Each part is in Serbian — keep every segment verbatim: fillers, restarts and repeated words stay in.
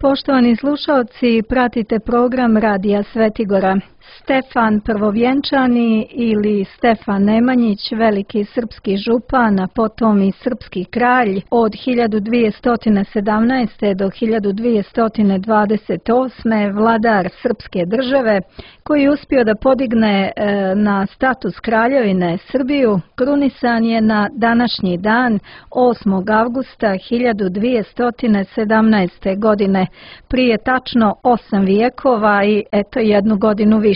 Poštovani slušalci, pratite program Radija Svetigora. Stefan Prvovjenčani ili Stefan Nemanjić, veliki srpski župan, a potom i srpski kralj od hiljadu dvjesto sedamnaeste. do hiljadu dvjesto dvadeset osme. vladar srpske države, koji je uspio da podigne na status kraljevine Srbiju, krunisan je na današnji dan osmog avgusta hiljadu dvjesto sedamnaeste. godine, prije tačno osam vijekova i eto jednu godinu više.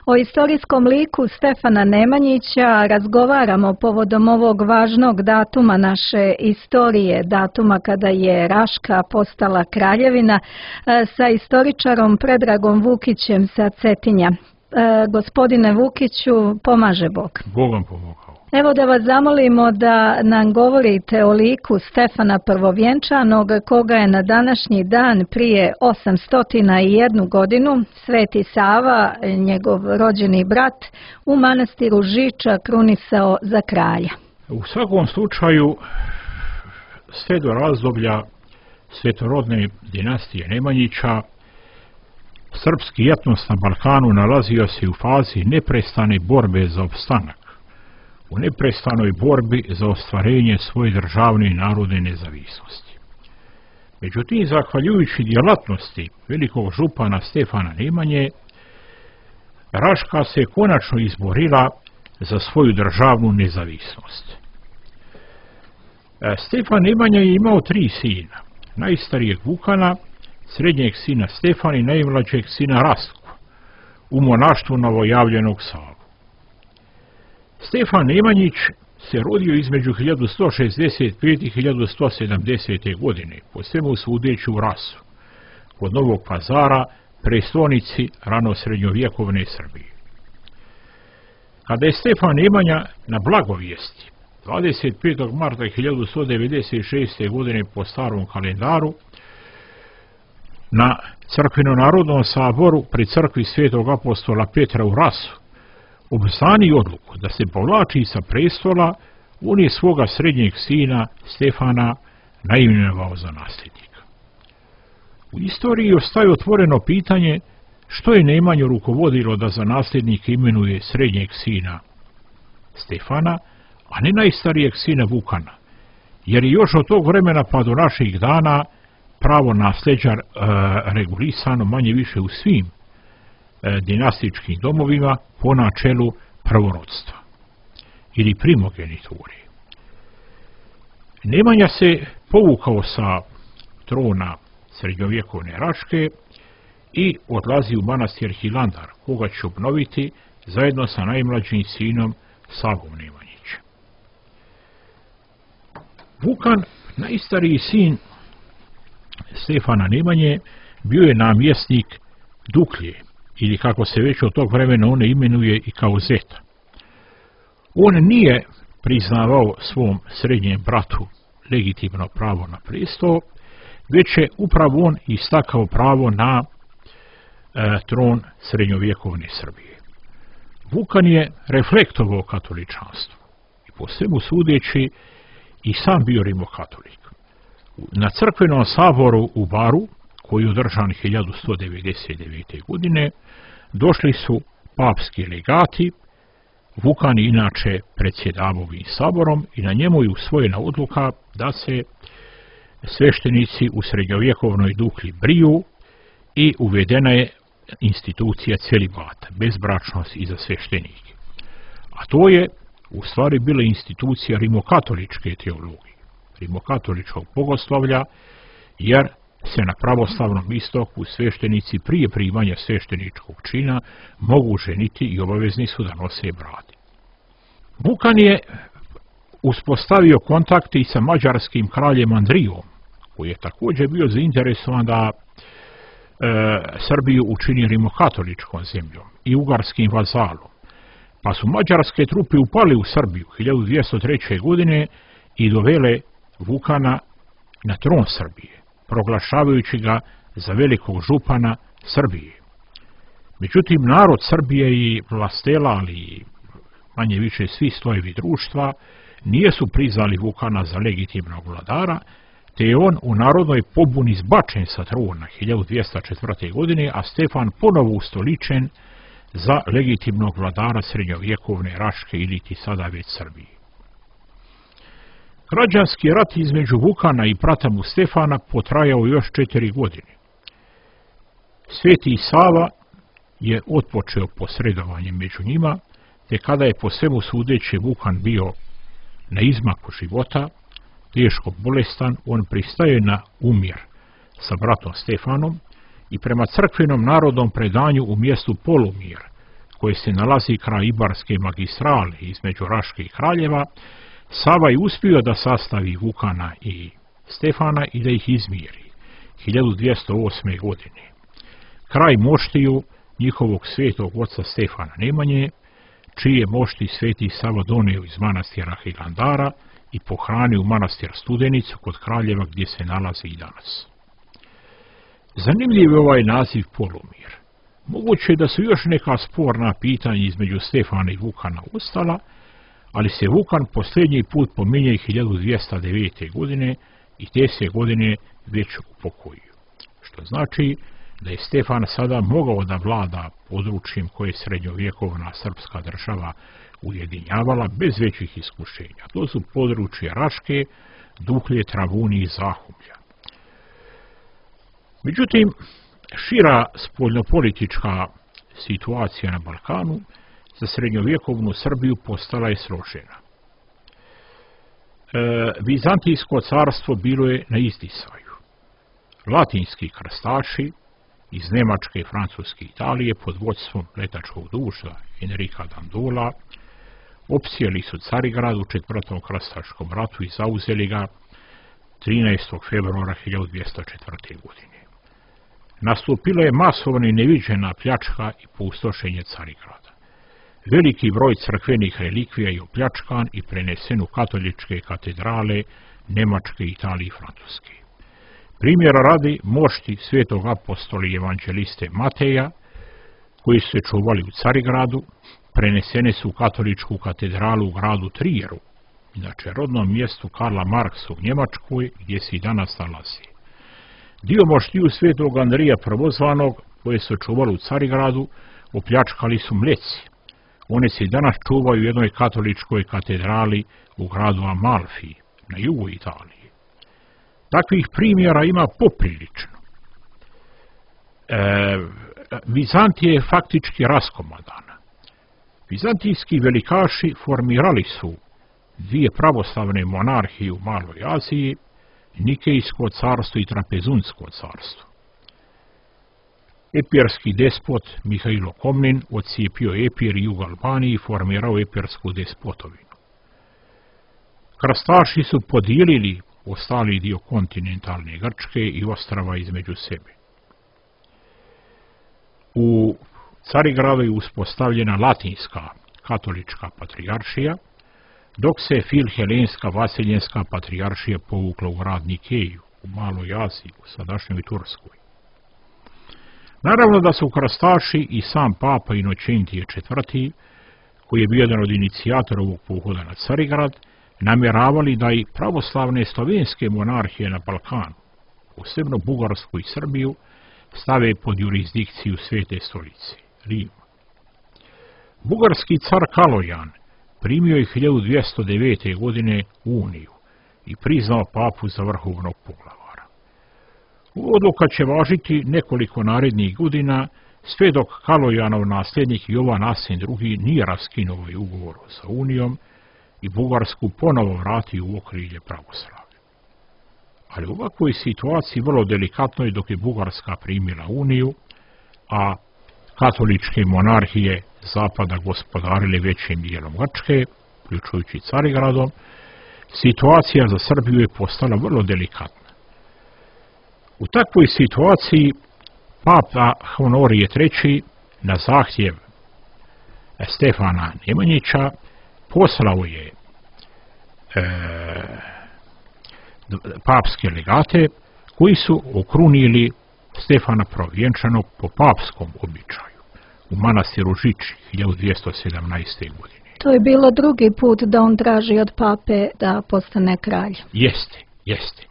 O istorijskom liku Stefana Nemanjića razgovaramo povodom ovog važnog datuma naše istorije, datuma kada je Raška postala kraljevina, sa istoričarom Predragom Vukićem sa Cetinja. Gospodine Vukiću, pomaže Bog. Bog vam pomogao. Evo da vas zamolimo da nam govorite o liku Stefana Prvovjenčanog, koga je na današnji dan prije osamsto jednu godinu Sveti Sava, njegov rođeni brat, u manastiru Žiča krunisao za kralja. U svakom slučaju, sve do razdoblja svetorodne dinastije Nemanjića, srpski etnos na Balkanu nalazio se u fazi neprestane borbe za opstanak, u neprestanoj borbi za ostvarenje svoje državne i narodne nezavisnosti. Međutim, zahvaljujući djelatnosti velikog župana Stefana Nemanje, Raška se konačno izborila za svoju državnu nezavisnost. Stefan Nemanja je imao tri sina, najstarijeg Vukana, srednjeg sina Stefana i najmlađeg sina Rastku, u monaštvu novojavljenog Savu. Stefan Nemanjić se rodio između hiljadu sto šezdeset pete. i hiljadu sto sedamdesete. godine, po svemu sudeći u Rasu, kod Novog Pazara, prestolnici ranosrednjovjekovne Srbije. Kada je Stefan Nemanja na blagovijesti dvadeset petog marta hiljadu sto devedeset šeste. godine po starom kalendaru na crkveno-narodnom saboru pri crkvi svetog apostola Petra u Rasu obznani odluku da se povlači sa prestola, on je svoga srednjeg sina Stefana naimenovao za nasljednika. U istoriji ostaje otvoreno pitanje što je Nemanju rukovodilo da za nasljednika imenuje srednjeg sina Stefana, a ne najstarijeg sina Vukana, jer je još od tog vremena pa do naših dana pravo nasljeđa e, regulisano manje više u svim e, dinastičkim domovima po načelu prvorodstva ili primogeniture. Nemanja se povukao sa trona srednjovjekovne Raške i odlazi u manastir Hilandar, koga će obnoviti zajedno sa najmlađim sinom Savom Nemanjićem. Vukan, najstariji sin Stefana Nemanje, bio je namjesnik Duklje, ili kako se već od tog vremena one imenuje i kao Zeta. On nije priznavao svom srednjem bratu legitimno pravo na prestol, već je upravo on istakao pravo na e, tron srednjovjekovne Srbije. Vukan je reflektovao katoličanstvo i po svemu sudeći i sam bio rimokatolik. Na crkvenom saboru u Baru, koji je održan hiljadu sto devedeset devete. godine, došli su papski legati. Vukan je inače predsjedavao ovim saborom i na njemu je usvojena odluka da se sveštenici u srednjovjekovnoj Duklji briju i uvedena je institucija celibata, bezbračnost i za sveštenike. A to je u stvari bila institucija rimokatoličke teologije, rimokatoličkog bogoslovlja, jer se na pravoslavnom istoku sveštenici prije primanja svešteničkog čina mogu ženiti i obavezni su da nose brade. Vukan je uspostavio kontakte i sa mađarskim kraljem Andrijom, koji je također bio zainteresovan da e, Srbiju učini rimokatoličkom zemljom i ugarskim vazalom, pa su mađarske trupe upali u Srbiju hiljadu dvjesto treće. godine i dovele Vukana na tron Srbije, proglašavajući ga za velikog župana Srbije. Međutim, narod Srbije i vlastela, ali manje više svi slojevi društva, nijesu priznali Vukana za legitimnog vladara, te je on u narodnoj pobuni zbačen sa trona hiljadu dvjesto četvrte. godine, a Stefan ponovo ustoličen za legitimnog vladara srednjovjekovne Raške ili ti sada već Srbije. Građanski rat između Vukana i brata mu Stefana potrajao još četiri godine. Sveti Sava je otpočeo posredovanje među njima, te kada je po svemu sudeći Vukan bio na izmaku života, teško bolestan, on pristaje na umjer sa bratom Stefanom i prema crkvenom narodnom predanju u mjestu Polumir, koje se nalazi kraj Ibarske magistrale između Raške i Kraljeva, Sava je uspio da sastavi Vukana i Stefana i da ih izmiri hiljadu dvjesto osme. godine. Kraj moštiju njihovog svetog oca Stefana Nemanje, čije mošti sveti Sava donio iz manastira Hilandara i pohranio u manastir Studenicu kod Kraljeva gdje se nalazi i danas. Zanimljiv je ovaj naziv Polumir. Moguće je da su još neka sporna pitanja između Stefana i Vukana ostala, ali se Vukan posljednji put pominje hiljadu dvjesto devete. godine i te se godine već upokojio. Što znači da je Stefan sada mogao da vlada područjem koje je srednjovjekovna srpska država ujedinjavala bez većih iskušenja. To su područje Raške, Duklje, Travuni i Zahumlja. Međutim, šira spoljnopolitička situacija na Balkanu za srednjovjekovnu Srbiju postala je složena. E, Vizantijsko carstvo bilo je na izdisaju. Latinski krstaši iz Nemačke, Francuske i Italije pod vodstvom letačkog duša Enrika Dandola opsjeli su Carigrad u četvrtom krstaškom ratu i zauzeli ga trinaestog februara hiljadu dvjesto četvrte. godine. Nastupila je masovna i neviđena pljačka i pustošenje Carigrada. Veliki broj crkvenih relikvija je opljačkan i prenesen u katoličke katedrale Nemačke, Italije i Francuske. Primjera radi mošti svetog apostola i evanđeliste Mateja, koji su se čuvali u Carigradu, prenesene su u katoličku katedralu u gradu Trijeru, inače rodnom mjestu Karla Marksa u Njemačkoj, gdje se i danas nalazi. Dio moštiju svetog Andrija Prvozvanog, koje su čuvali u Carigradu, opljačkali su Mleci. One se i danas čuvaju u jednoj katoličkoj katedrali u gradu Amalfi, na jugu Italije. Takvih primjera ima poprilično. E, Vizantija je faktički raskomadana. Vizantijski velikaši formirali su dvije pravoslavne monarhije u Maloj Aziji, Nikejsko carstvo i Trapezunsko carstvo. Epirski despot Mihajlo Komnin odcijepio Epir i jug Albaniji i formirao epirsku despotovinu. Krstaši su podijelili ostali dio kontinentalne Grčke i ostrava između sebe. U Carigradu je uspostavljena latinska katolička patrijaršija, dok se filhelenska vaseljenska patrijaršija povukla u grad Nikeju, u Maloj Aziji, u sadašnjoj Turskoj. Naravno da su krstaši i sam papa Inočentije četvrti, koji je bio jedan od inicijatora ovog pohoda na Carigrad, namjeravali da i pravoslavne slovenske monarhije na Balkanu, posebno Bugarsku i Srbiju, stave pod jurisdikciju Svete stolice, Rima. Bugarski car Kalojan primio je hiljadu dvjesto devete. godine uniju i priznao papu za vrhovnog poglavara. Odluka će važiti nekoliko narednih godina, sve dok Kalojanov nasljednik Jovan Asen drugi nije raskinuo ovaj ugovor sa unijom i Bugarsku ponovo vratio u okrilje pravoslavlja. Ali u ovakvoj situaciji vrlo delikatno je dok je Bugarska primila uniju, a katoličke monarhije zapada gospodarile većim dijelom Grčke, uključujući Carigradom, situacija za Srbiju je postala vrlo delikatna. U takvoj situaciji papa Honorije treći na zahtjev Stefana Nemanjića poslao je e, papske legate koji su okrunili Stefana Prvovjenčanog po papskom običaju u manastiru Žiči hiljadu dvjesto sedamnaeste. godine. To je bilo drugi put da on traži od pape da postane kralj. Jeste, jeste.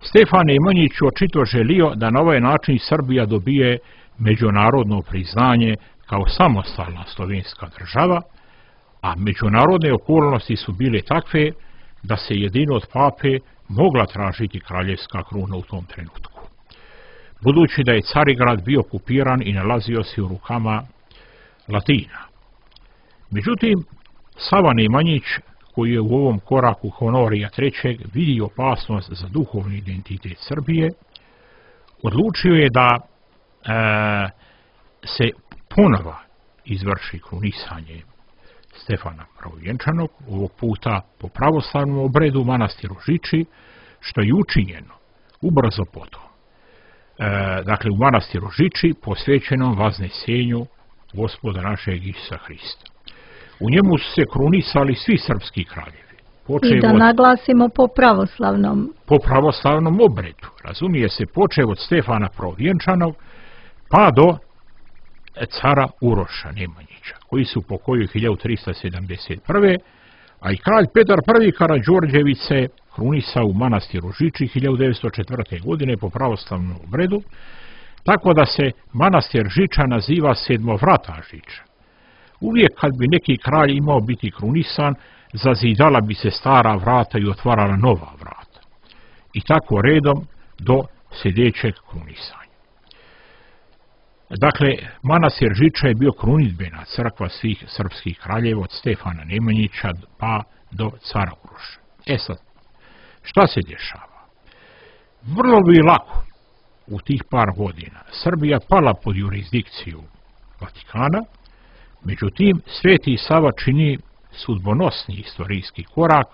Stefan Nemanjić očito želio da na ovaj način Srbija dobije međunarodno priznanje kao samostalna slovenska država, a međunarodne okolnosti su bile takve da se jedino od pape mogla tražiti kraljevska kruna u tom trenutku. Budući da je Carigrad bio okupiran i nalazio se u rukama Latina. Međutim, Sava Nemanjić, koji je u ovom koraku Honorija trećeg vidi opasnost za duhovni identitet Srbije, odlučio je da e, se ponovo izvrši krunisanje Stefana Prvovjenčanog, ovog puta po pravoslavnom obredu u manastiru Žiči, što je učinjeno ubrzo potom. E, dakle, u manastiru Žiči posvećenom vaznesenju Gospoda našeg Isusa Hrista. U njemu su se krunisali svi srpski kraljevi. I da od, naglasimo po pravoslavnom. Po pravoslavnom obredu. Razumije se, počev od Stefana Prvovjenčanog pa do cara Uroša Nemanjića, koji su pokojili hiljadu trista sedamdeset prve. a i kralj Petar prvi Karađorđević se krunisao u manastiru Žiči hiljadu devetsto četvrte. godine po pravoslavnom obredu, tako da se manastir Žiča naziva Sedmovrata Žiča. Uvijek kad bi neki kralj imao biti krunisan, zazidala bi se stara vrata i otvarala nova vrata. I tako redom do sljedećeg krunisanja. Dakle, manastir Žiča je bio krunidbena crkva svih srpskih kraljeva od Stefana Nemanjića pa do cara Uroša. E sad, šta se dešava? Vrlo bi lako u tih par godina Srbija pala pod jurisdikciju Vatikana, međutim, Sveti Sava čini sudbonosni istorijski korak.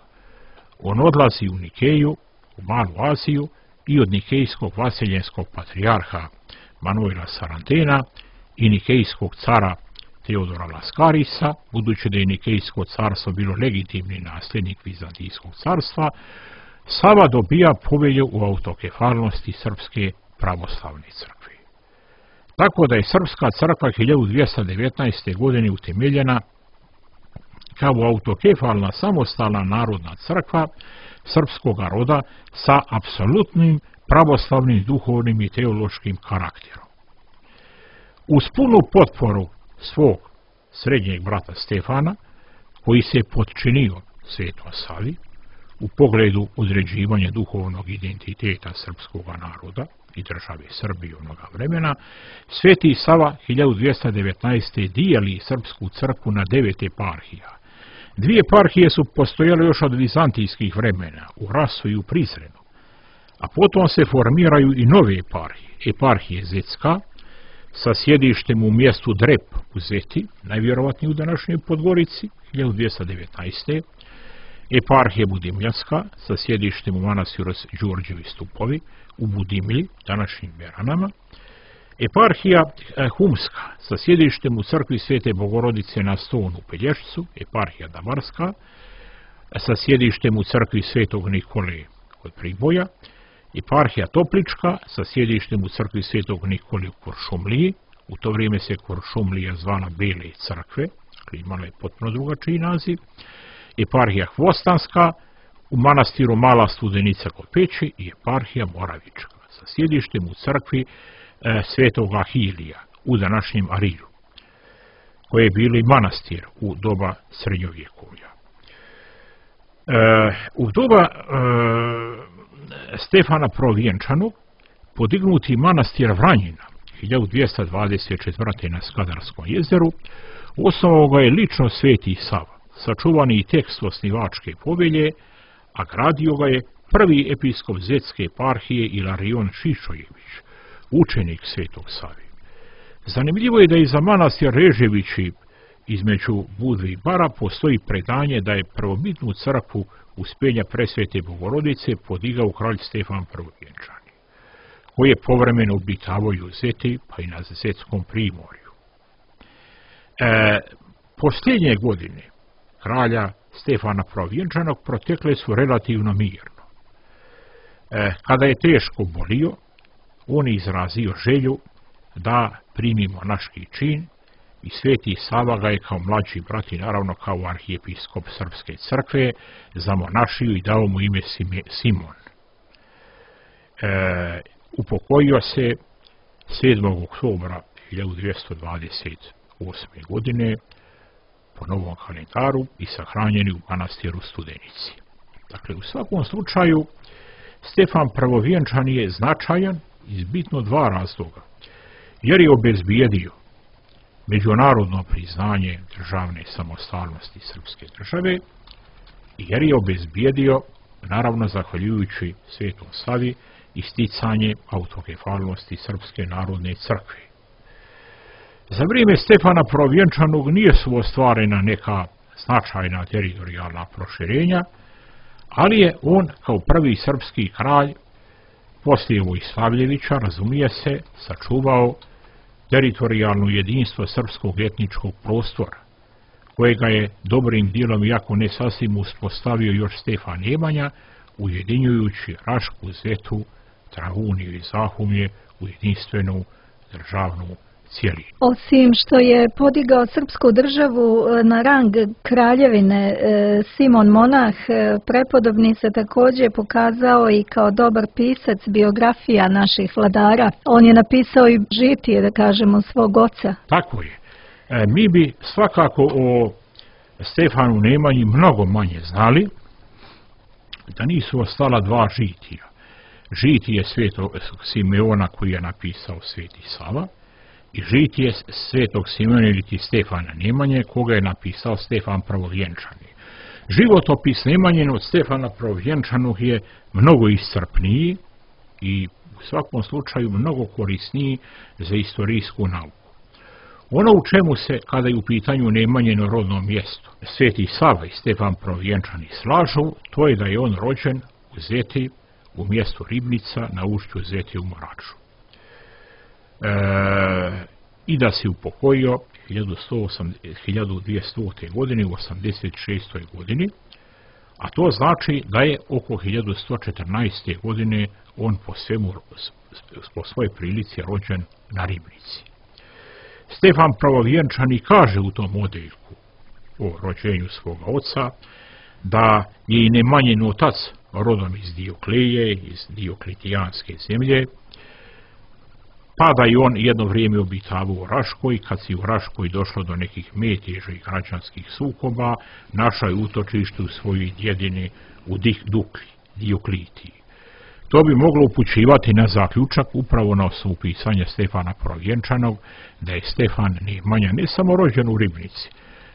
On odlazi u Nikeju, u Malu Aziju, i od nikejskog vaseljenskog patrijarha Manuela Sarantena i nikejskog cara Teodora Laskarisa, budući da je nikejsko carstvo bilo legitimni nasljednik Vizantijskog carstva, Sava dobija povelju u autokefalnosti Srpske pravoslavne crkve. Tako da je Srpska crkva hiljadu dvjesto devetnaeste. godine utemeljena kao autokefalna samostalna narodna crkva srpskog roda sa apsolutnim pravoslavnim duhovnim i teološkim karakterom. Uz punu potporu svog srednjeg brata Stefana, koji se potčinio Svetom Savi u pogledu određivanja duhovnog identiteta srpskog naroda i države Srbije onoga vremena, Sveti Sava hiljadu dvjesto devetnaeste. dijeli srpsku crkvu na devet eparhija. Dvije eparhije su postojale još od vizantijskih vremena, u Rasu i u Prizrenu, a potom se formiraju i nove eparhije. Eparhije Zetska, sa sjedištem u mjestu Drep u Zeti, najvjerovatnije u današnjoj Podgorici, hiljadu dvjesto devetnaeste. Eparhije Budimljanska, sa sjedištem u manastiru Đurđevi Stupovi, u Budimlji, današnjim Beranama. Eparhija Humska, sa sjedištem u crkvi Svete Bogorodice na Stonu u Pelješcu. Eparhija Damarska, sa sjedištem u crkvi Svetog Nikole kod Priboja. Eparhija Toplička, sa sjedištem u crkvi Svetog Nikole u Kuršumliji. U to vrijeme se Kuršumlija zvala Bele crkve, imala je potpuno drugačiji naziv. Eparhija Hvostanska, u manastiru Mala Studenica kod Peći, i eparhija Moravička, sa sjedištem u crkvi e, Svetog Ahilija u današnjem Arilju, koje je bili manastir u doba srednjovjekovlja. E, u doba e, Stefana Prvovjenčanog podignuti manastir Vranjina hiljadu dvjesto dvadeset četvrte. na Skadarskom jezeru, osnovao ga je lično Sveti Sava, sačuvani i tekst osnivačke povelje, a gradio ga je prvi episkop Zetske eparhije Ilarion Šišojević, učenik Svetog Savi. Zanimljivo je da i za manastir Reževići između Budve i Bara postoji predanje da je prvobitnu crkvu Uspenja Presvete Bogorodice podigao kralj Stefan Prvovjenčani, koji je povremeno obitavao u Zeti pa i na Zetskom primorju. E, posljednje godine kralja Stefana Prvovjenčanog protekle su relativno mirno. E, kada je teško bolio, on je izrazio želju da primi monaški čin i Sveti Sava ga je kao mlađi brat i naravno kao arhijepiskop Srpske crkve zamonašio i dao mu ime Simon. e, upokojio se sedmog oktobra hiljadu dvjesto dvadeset osme. godine po novom kalendaru i sahranjen u manastiru Studenici. Dakle, u svakom slučaju Stefan Prvovjenčani je značajan iz bitno dva razloga. Jer je obezbijedio međunarodno priznanje državne samostalnosti srpske države i jer je obezbijedio, naravno zahvaljujući Svetom Savi, isticanje autokefalnosti Srpske narodne crkve. Za vrijeme Stefana Prvovjenčanog nije su ostvarena neka značajna teritorijalna proširenja, ali je on kao prvi srpski kralj poslije Vojslavljevića, razumije se, sačuvao teritorijalno jedinstvo srpskog etničkog prostora, kojega je dobrim dijelom, iako ne sasvim, uspostavio još Stefan Nemanja, ujedinjujući Rašku, Zetu, Travuniju i Zahumlje u jedinstvenu državnu cijelinu. Osim što je podigao srpsku državu na rang kraljevine, Simon Monah prepodobni se također pokazao i kao dobar pisac biografija naših vladara. On je napisao i žitije, da kažemo, svog oca. Tako je. E, mi bi svakako o Stefanu Nemanji mnogo manje znali da nisu ostala dva žitija. Žitije Svetog Simeona koji je napisao Sveti Sava i žitije Svetog Simeona ili Stefana Nemanje koga je napisao Stefan Prvovjenčani. Životopis Nemanjen od Stefana Prvovjenčanog je mnogo iscrpniji i u svakom slučaju mnogo korisniji za istorijsku nauku. Ono u čemu se, kada je u pitanju Nemanjeno rodno mjesto, Sveti Sava i Stefan Prvovjenčani slažu, to je da je on rođen u Zeti, u mjestu Ribnica, na ušću Zeti u Moraču. E, I da se upokojio hiljadu dvjesto godine u osamdeset šestoj. godini, a to znači da je oko hiljadu sto četrnaeste. godine on po svemu, po svojoj prilici rođen na Ribnici. Stefan Prvovjenčani kaže u tom odeljku o rođenju svoga oca da je i Nemanjin otac rodom iz Diokleje, iz Diokletijanske zemlje, pa da je on jedno vrijeme obitavao u Raškoj, kad si u Raškoj došlo do nekih meteža i građanskih sukoba, našao je utočište u svojoj djedini u Dukli, Dioklitiji. To bi moglo upućivati na zaključak upravo na osnovu pisanja Stefana Prvovjenčanog da je Stefan Nemanja ne samo rođen u Ribnici,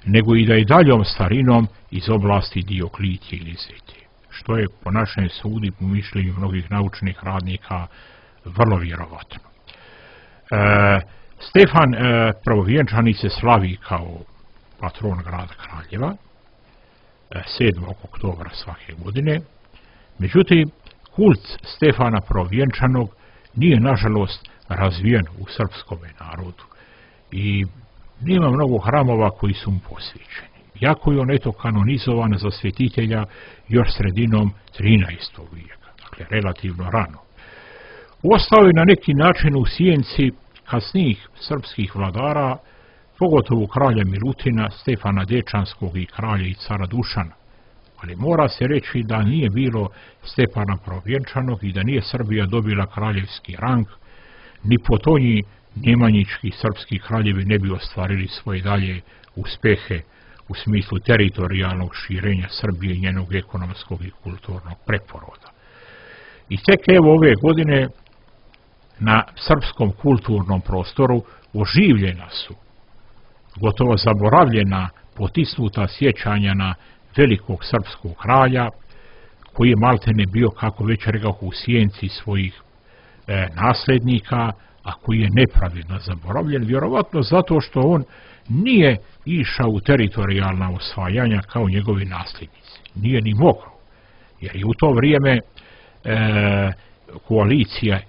nego i da je daljom starinom iz oblasti Dioklitije ili Zeti, što je po našem sudu i po mišljenju mnogih naučnih radnika vrlo vjerovatno. E, Stefan e, Prvovjenčani se slavi kao patron grada Kraljeva e, sedmog oktobra svake godine, međutim kult Stefana Prvovjenčanog nije nažalost razvijen u srpskom narodu i nema mnogo hramova koji su mu posvećeni. Iako je on eto kanonizovan za svetitelja još sredinom trinaestog. vijeka, dakle relativno rano. Ostao je na neki način u sjenci kasnijih srpskih vladara, pogotovo kralja Milutina, Stefana Dečanskog i kralja i cara Dušana. Ali mora se reći da nije bilo Stefana Prvovjenčanog i da nije Srbija dobila kraljevski rang, ni potonji njemanjički srpski kraljevi ne bi ostvarili svoje dalje uspehe u smislu teritorijalnog širenja Srbije i njenog ekonomskog i kulturnog preporoda. I tek evo ove godine na srpskom kulturnom prostoru oživljena su, gotovo zaboravljena, potisnuta sjećanja na velikog srpskog kralja, koji je maltene bio, kako već rekao, u sjenci svojih e, nasljednika, a koji je nepravedno zaboravljen, vjerovatno zato što on nije išao u teritorijalna osvajanja kao njegovi nasljednici. Nije ni mogao, jer je u to vrijeme e, koalicija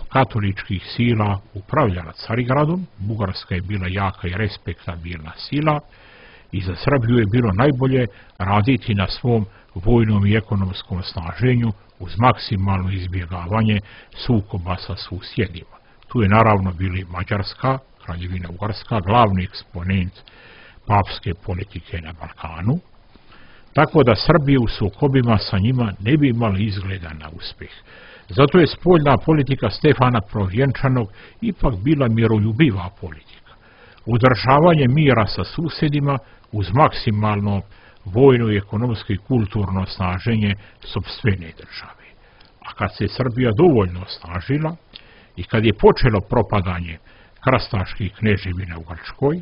katoličkih sila upravljala Carigradom, Bugarska je bila jaka i respektabilna sila i za Srbiju je bilo najbolje raditi na svom vojnom i ekonomskom snaženju uz maksimalno izbjegavanje sukoba sa susjedima. Tu je naravno bili Mađarska, Kraljevina Ugarska, glavni eksponent papske politike na Balkanu, tako da Srbija u sukobima sa njima ne bi imala izgleda na uspjeh. Zato je spoljna politika Stefana Prvovjenčanog ipak bila miroljubiva politika. Udržavanje mira sa susjedima uz maksimalno vojno, ekonomsko i kulturno snaženje sopstvene države. A kad se Srbija dovoljno osnažila i kad je počelo propadanje krastaških kneževina u Grčkoj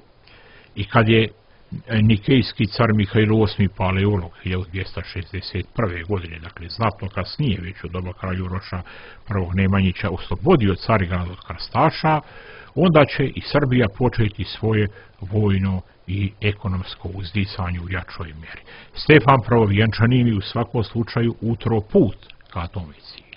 i kad je nikejski car Mihajlo osmi Paleolog hiljadu dvjesto šezdeset prve. godine, dakle znatno kasnije, već u doba kralja Uroša prvog Nemanjića, oslobodio Carigrad od krastaša, onda će i Srbija početi svoje vojno i ekonomsko uzdisanje u jačoj mjeri. Stefan Prvovjenčani mi u svakom slučaju utro put ka tome cilju.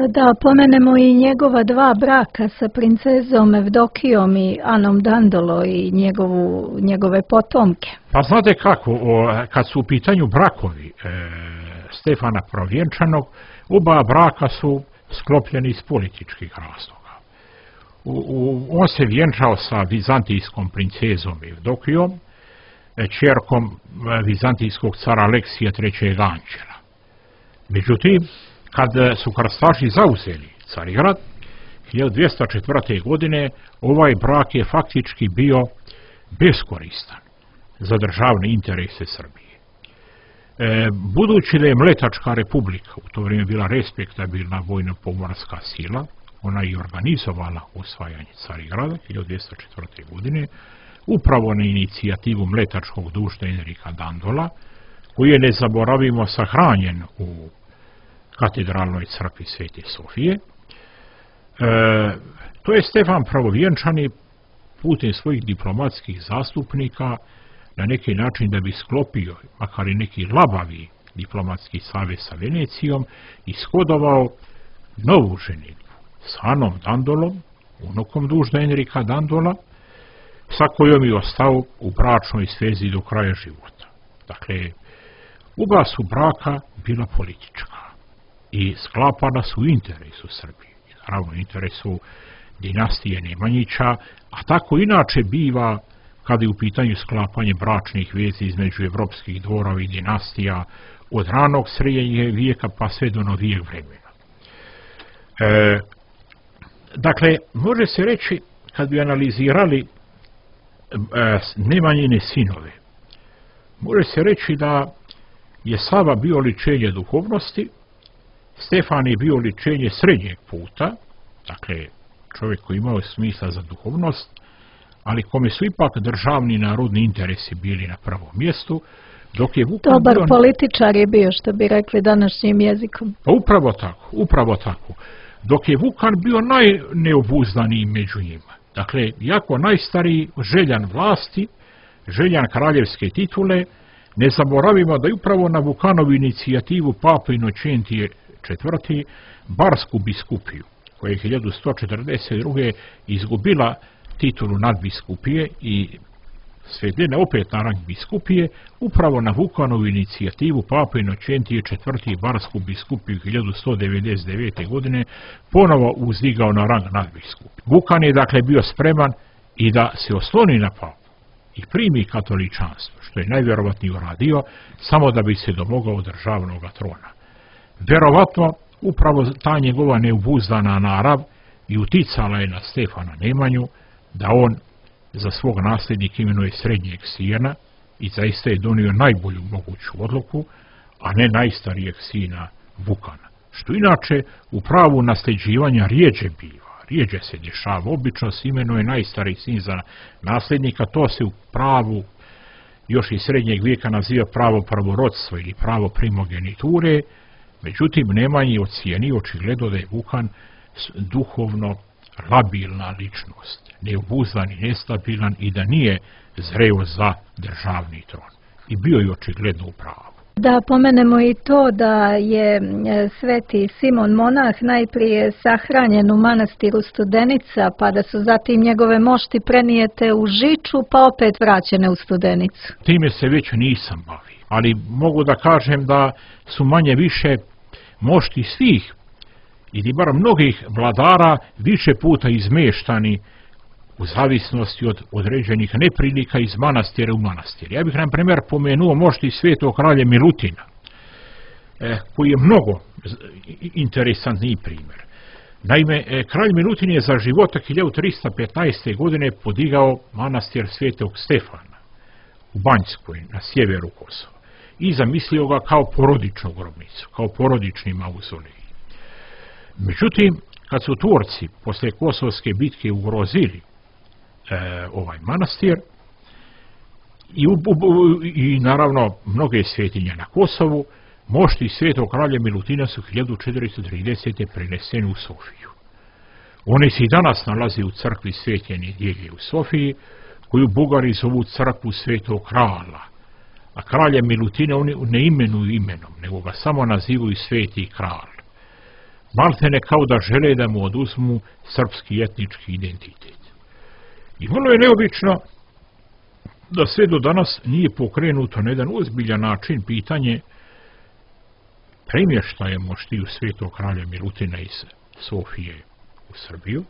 Da pomenemo i njegova dva braka sa princezom Evdokijom i Anom Dandolo i njegovu, njegove potomke. Pa znate kako, o, kad su u pitanju brakovi e, Stefana Prvovjenčanog, oba braka su sklopljeni iz političkih razloga. U, u, on se vjenčao sa vizantijskom princezom Evdokijom, ćerkom vizantijskog cara Aleksija trećeg Anđela. Međutim, kad su krstaši zauzeli Carigrad hiljadu dvjesto četvrte. godine, ovaj brak je faktički bio beskoristan za državne interese Srbije. E, budući da je Mletačka republika u to vrijeme bila respektabilna vojno-pomorska sila, ona je organizovala osvajanje Carigrada hiljadu dvjesto četvrte. godine, upravo na inicijativu mletačkog dušta Enrika Dandola, koji je, ne zaboravimo, sahranjen u katedralnoj crkvi Svete Sofije. E, to je Stefan Prvovjenčani putem svojih diplomatskih zastupnika na neki način, da bi sklopio makar i neki labavi diplomatski savez sa Venecijom, ishodovao novu ženitbu s Anom Dandolom, unukom dužda Enrika Dandola, sa kojom je ostao u bračnoj svezi do kraja života. Dakle, oba su braka bila politička i sklapana su u interesu Srbije, naravno u interesu dinastije Nemanjića, a tako inače biva kada je u pitanju sklapanje bračnih vezi između evropskih dvorova i dinastija od ranog srednjeg vijeka pa sve do novijeg vremena. E, dakle, može se reći, kad bi analizirali e, Nemanjine sinove, može se reći da je Sava bio oličenje duhovnosti, Stefan je bio oličenje srednjeg puta, dakle čovjek koji imao smisla za duhovnost, ali kome su ipak državni narodni interesi bili na prvom mjestu, dok je Vukan Dobar bio... političar je bio, što bi rekli današnjim jezikom. Pa upravo tako, upravo tako. Dok je Vukan bio najneobuzdaniji među njima. Dakle, jako najstariji, željan vlasti, željan kraljevske titule, ne zaboravimo da je upravo na Vukanovu inicijativu Papa Inočentije četvrti. Barsku biskupiju, koja je hiljadu sto četrdeset druge. izgubila titulu nadbiskupije i svedena opet na rang biskupije, upravo na Vukanovu inicijativu Papa Inočentije četvrti. Barsku biskupiju hiljadu sto devedeset devete. godine ponovo uzdigao na rang nadbiskup. Vukan je dakle bio spreman i da se osloni na papu i primi katoličanstvo, što je najvjerovatnije uradio, samo da bi se domogao državnog trona. Vjerovatno, upravo ta njegova neobuzdana narav i uticala je na Stefana Nemanju da on za svog nasljednika imenuje srednjeg sina i zaista je donio najbolju moguću odluku, a ne najstarijeg sina Vukana. Što inače u pravu nasljeđivanja rijeđe biva, rijeđe se dešava. Obično se imenuje najstariji sin za nasljednika, to se u pravu još iz srednjeg vijeka naziva pravo prvorodstva ili pravo primogeniture. Međutim, Nemanji je ocijenio očigledno da je Vukan duhovno labilna ličnost, neobuzdan i nestabilan i da nije zreo za državni tron. I bio je očigledno u pravu. Da pomenemo i to da je sveti Simon Monah najprije sahranjen u manastiru Studenica, pa da su zatim njegove mošti prenijete u Žiču, pa opet vraćene u Studenicu. Time se već nisam bavio, ali mogu da kažem da su manje više mošti svih ili bar mnogih vladara više puta izmeštani u zavisnosti od određenih neprilika iz manastira u manastir. Ja bih, na primjer, pomenuo mošti svetog kralja Milutina. koji je mnogo interesantniji primjer. Naime, kralj Milutin je za života hiljadu trista petnaeste. godine podigao manastir Svetog Stefana u Banjskoj, na sjeveru Kosova, i zamislio ga kao porodičnu grobnicu, kao porodični mauzolej. Međutim, kad su Turci posle Kosovske bitke ugrozili e, ovaj manastir i, u, u, i naravno mnoge svetinje na Kosovu, mošti Svetog kralja Milutina su hiljadu četiristo tridesete. preneseni u Sofiju. One se i danas nalaze u crkvi Svete Nedjelje u Sofiji, koju Bugari zovu crkvu Svetog kralja, a kralja Milutina oni ne imenuju imenom, nego ga samo nazivaju Sveti kralj. Maltene kao da žele da mu oduzmu srpski etnički identitet. I vrlo je neobično da sve do danas nije pokrenuto na jedan ozbiljan način pitanje premještaja moštiju Svetog kralja Milutina iz Sofije u Srbiju,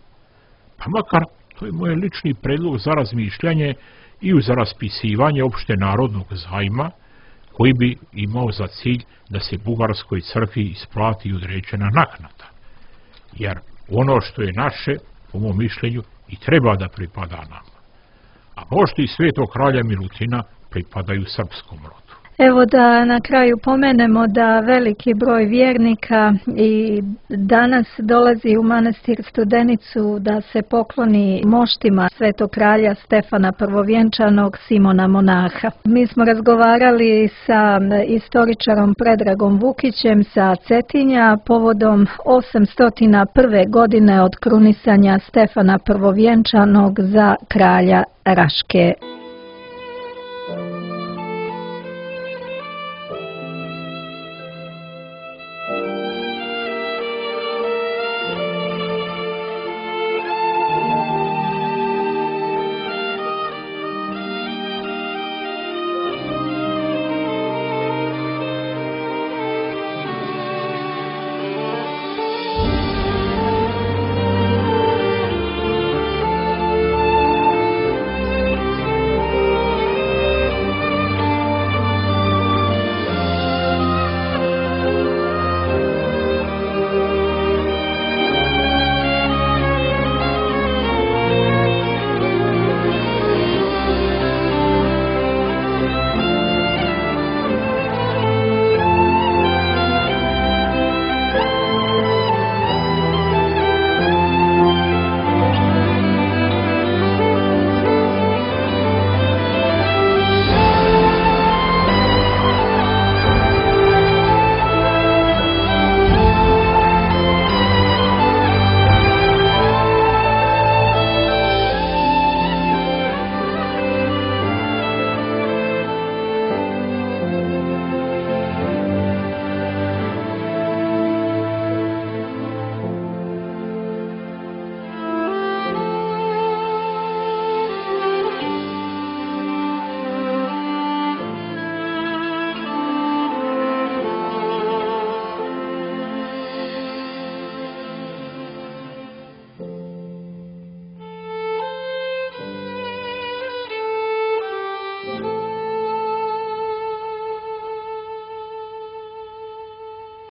pa makar, to je moj lični predlog za razmišljanje i za raspisivanje opšte narodnog zajma, koji bi imao za cilj da se Bugarskoj crkvi isplati određena naknada. Jer ono što je naše, po mom mišljenju, i treba da pripada nama. A mošti Svetog kralja Milutina pripadaju srpskom rodu. Evo da na kraju pomenemo da veliki broj vjernika i danas dolazi u manastir Studenicu da se pokloni moštima Svetog kralja Stefana Prvovjenčanog, Simona Monaha. Mi smo razgovarali sa istoričarom Predragom Vukićem sa Cetinja povodom osamsto prve. godine od krunisanja Stefana Prvovjenčanog za kralja Raške.